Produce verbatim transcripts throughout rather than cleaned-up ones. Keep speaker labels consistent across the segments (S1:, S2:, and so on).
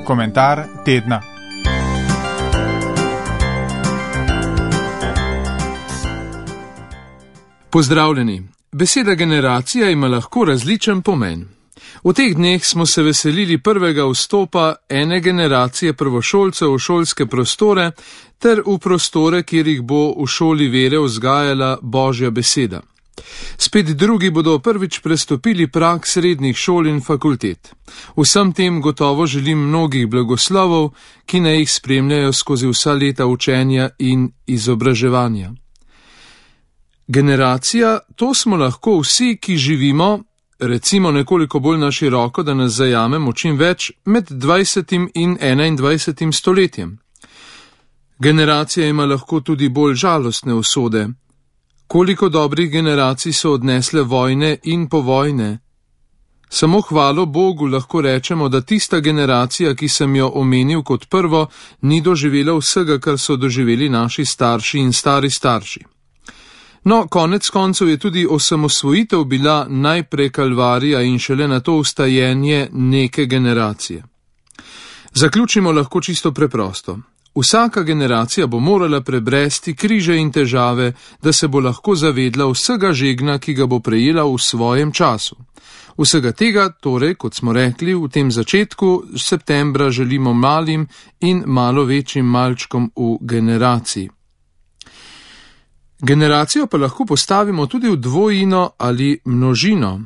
S1: Komentar tedna.
S2: Pozdravljeni. Beseda generacija ima lahko različen pomen. V teh dneh smo se veselili prvega vstopa ene generacije prvošolcev v šolske prostore ter v prostore, kjer jih bo v šoli vere vzgajala Božja beseda. Spet drugi bodo prvič prestopili prag srednjih šol in fakultet. Vsem tem gotovo želim mnogih blagoslovov, ki naj jih spremljajo skozi vsa leta učenja in izobraževanja. Generacija, to smo lahko vsi, ki živimo, recimo nekoliko bolj na široko, da nas zajamemo čim več, med dvajsetim in enaindvajsetim stoletjem. Generacija ima lahko tudi bolj žalostne usode. Koliko dobrih generacij so odnesle vojne in povojne? Samo hvalo Bogu lahko rečemo, da tista generacija, ki sem jo omenil kot prvo, ni doživela vsega, kar so doživeli naši starši in stari starši. No, konec koncev je tudi osamosvojitev bila najprej kalvarija in šele na to vstajenje neke generacije. Zaključimo lahko čisto preprosto. Vsaka generacija bo morala prebresti križe in težave, da se bo lahko zavedla vsega žegna, ki ga bo prejela v svojem času. Vsega tega, torej, kot smo rekli, v tem začetku septembra želimo malim in malo večjim malčkom v generaciji. Generacijo pa lahko postavimo tudi v dvojino ali množino.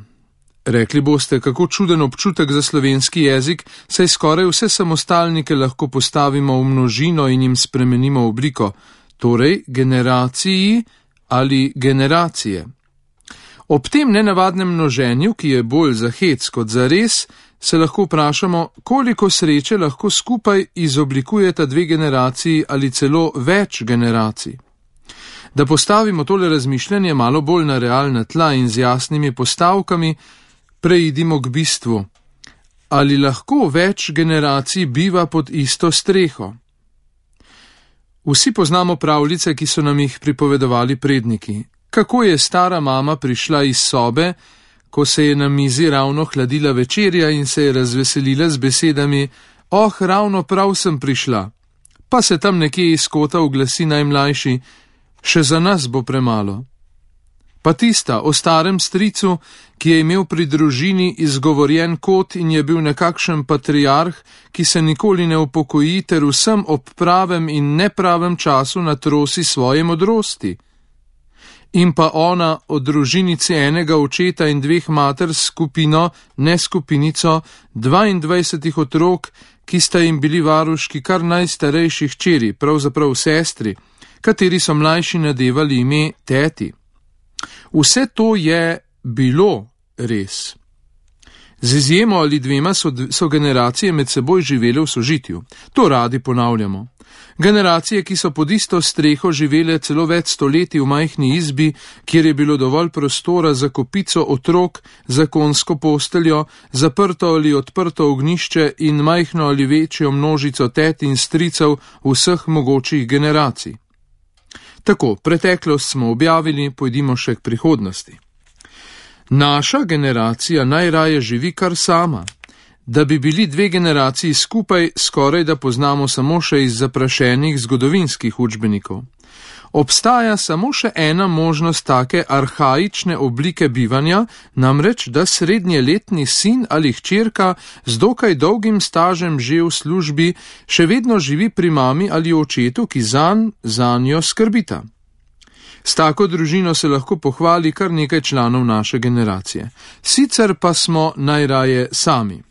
S2: Rekli boste, kako čuden občutek za slovenski jezik, saj skoraj vse samostalnike lahko postavimo v množino in jim spremenimo obliko, torej generaciji ali generacije. Ob tem nenavadnem množenju, ki je bolj za hec kot za res, se lahko vprašamo, koliko sreče lahko skupaj izoblikujeta dve generaciji ali celo več generacij. Da postavimo tole razmišljanje malo bolj na realna tla in z jasnimi postavkami, preidimo k bistvu. Ali lahko več generacij biva pod isto streho? Vsi poznamo pravljice, ki so nam jih pripovedovali predniki. Kako je stara mama prišla iz sobe, ko se je na mizi ravno hladila večerja in se je razveselila z besedami: "Oh, ravno prav sem prišla." Pa se tam nekje iz kota oglasi najmlajši: "Še za nas bo premalo." Pa tista o starem stricu, ki je imel pri družini izgovorjen kot in je bil nekakšen patriarh, ki se nikoli ne upokoji ter vsem ob pravem in nepravem času natrosi svoje modrosti. In pa ona o družinici enega očeta in dveh mater s skupino, ne skupinico, dvaindvajsetih otrok, ki sta jim bili varuški kar najstarejši hčeri, pravzaprav sestri, kateri so mlajši nadevali ime teti. Vse to je bilo res. Z izjemo ali dvema so, so generacije med seboj živele v sožitju. To radi ponavljamo. Generacije, ki so pod isto streho živele celo več stoletij v majhni izbi, kjer je bilo dovolj prostora za kopico otrok, za konjsko posteljo, zaprto ali odprto ognjišče in majhno ali večjo množico tet in stricev vseh mogočih generacij. Tako, preteklost smo objavili, pojdimo še k prihodnosti. Naša generacija najraje živi kar sama. Da bi bili dve generaciji skupaj, skoraj da poznamo samo še iz zaprašenih zgodovinskih učbenikov. Obstaja samo še ena možnost take arhaične oblike bivanja, namreč, da srednjeletni sin ali hčerka z dokaj dolgim stažem že v službi še vedno živi pri mami ali očetu, ki zanj, zanjo skrbita. S tako družino se lahko pohvali kar nekaj članov naše generacije. Sicer pa smo najraje sami.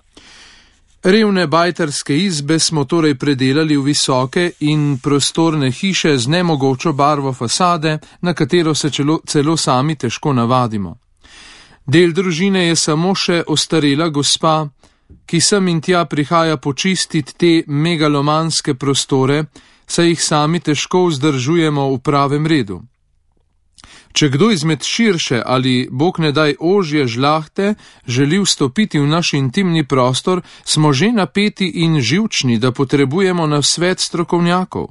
S2: Revne bajterske izbe smo torej predelali v visoke in prostorne hiše z nemogočo barvo fasade, na katero se celo, celo sami težko navadimo. Del družine je samo še ostarela gospa, ki sem in tja prihaja počistiti te megalomanske prostore, saj jih sami težko vzdržujemo v pravem redu. Če kdo izmed širše ali, bog ne daj, ožje žlahte želi vstopiti v naš intimni prostor, smo že napeti in živčni, da potrebujemo nasvet strokovnjakov.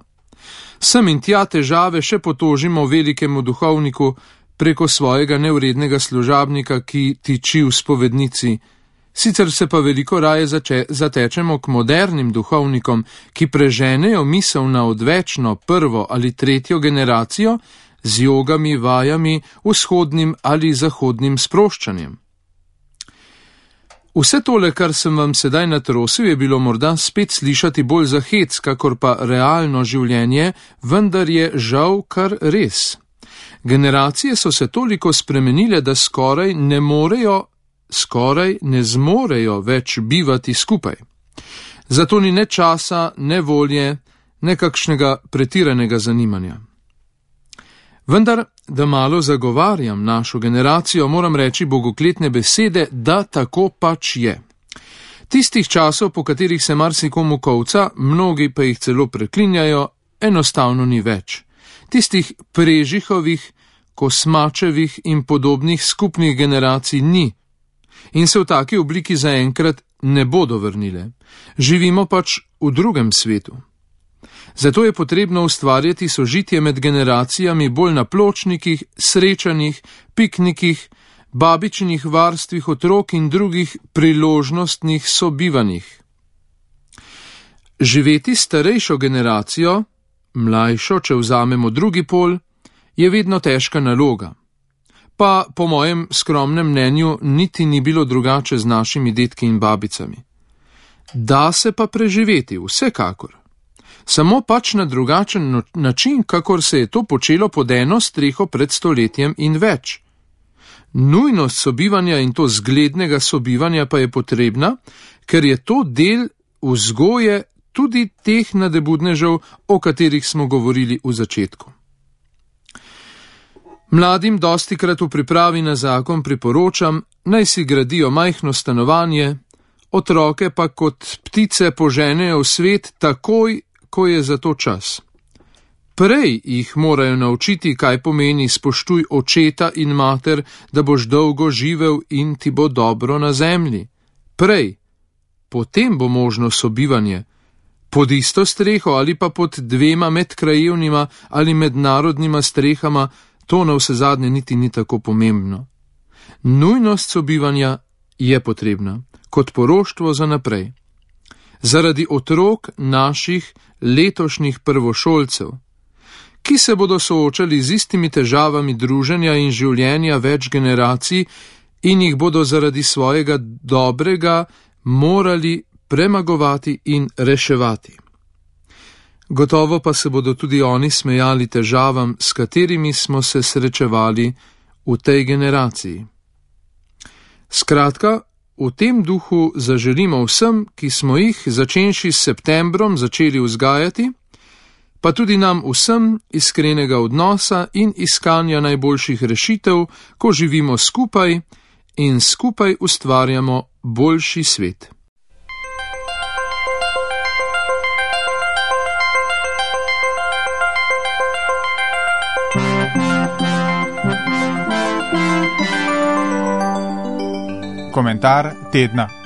S2: Sem in tja težave še potožimo velikemu duhovniku preko svojega nevrednega služabnika, ki tiči v spovednici. Sicer se pa veliko raje zače, zatečemo k modernim duhovnikom, ki preženejo misel na odvečno prvo ali tretjo generacijo z jogami, vajami, vzhodnim ali zahodnim sproščanjem. Vse tole, kar sem vam sedaj natrosil, je bilo morda spet slišati bolj za hec, kakor pa realno življenje, vendar je žal kar res. Generacije so se toliko spremenile, da skoraj ne morejo, skoraj ne zmorejo več bivati skupaj. Zato ni ne časa, ne volje, ne kakšnega pretiranega zanimanja. Vendar, da malo zagovarjam našo generacijo, moram reči bogokletne besede, da tako pač je. Tistih časov, po katerih se marsikomu kolca, mnogi pa jih celo preklinjajo, enostavno ni več. Tistih prežihovih, kosmačevih in podobnih skupnih generacij ni in se v taki obliki zaenkrat ne bodo vrnile. Živimo pač v drugem svetu. Zato je potrebno ustvarjati sožitje med generacijami bolj na pločnikih, srečanjih, piknikih, babičinih varstvih otrok in drugih priložnostnih sobivanjih. Živeti starejšo generacijo, mlajšo, če vzamemo drugi pol, je vedno težka naloga. Pa po mojem skromnem mnenju niti ni bilo drugače z našimi dedki in babicami. Da se pa preživeti, vsekakor. Samo pač na drugačen način, kakor se je to počelo pod eno streho pred stoletjem in več. Nujnost sobivanja in to zglednega sobivanja pa je potrebna, ker je to del vzgoje tudi teh nadebudnežev, o katerih smo govorili v začetku. Mladim dostikrat v pripravi na zakon priporočam, naj si gradijo majhno stanovanje, otroke pa kot ptice poženejo v svet takoj, ko je za to čas. Prej jih morajo naučiti, kaj pomeni spoštuj očeta in mater, da boš dolgo živel in ti bo dobro na zemlji. Prej, potem bo možno sobivanje, pod isto streho ali pa pod dvema medkrajevnima ali mednarodnima strehama, to na vse zadnje niti ni tako pomembno. Nujnost sobivanja je potrebna, kot poroštvo za naprej. Zaradi otrok naših letošnjih prvošolcev, ki se bodo soočali z istimi težavami druženja in življenja več generacij in jih bodo zaradi svojega dobrega morali premagovati in reševati. Gotovo pa se bodo tudi oni smejali težavam, s katerimi smo se srečevali v tej generaciji. Skratka, v tem duhu zaželimo vsem, ki smo jih, začenši s septembrom, začeli vzgajati, pa tudi nam vsem iskrenega odnosa in iskanja najboljših rešitev, ko živimo skupaj in skupaj ustvarjamo boljši svet.
S1: Komentar tedna.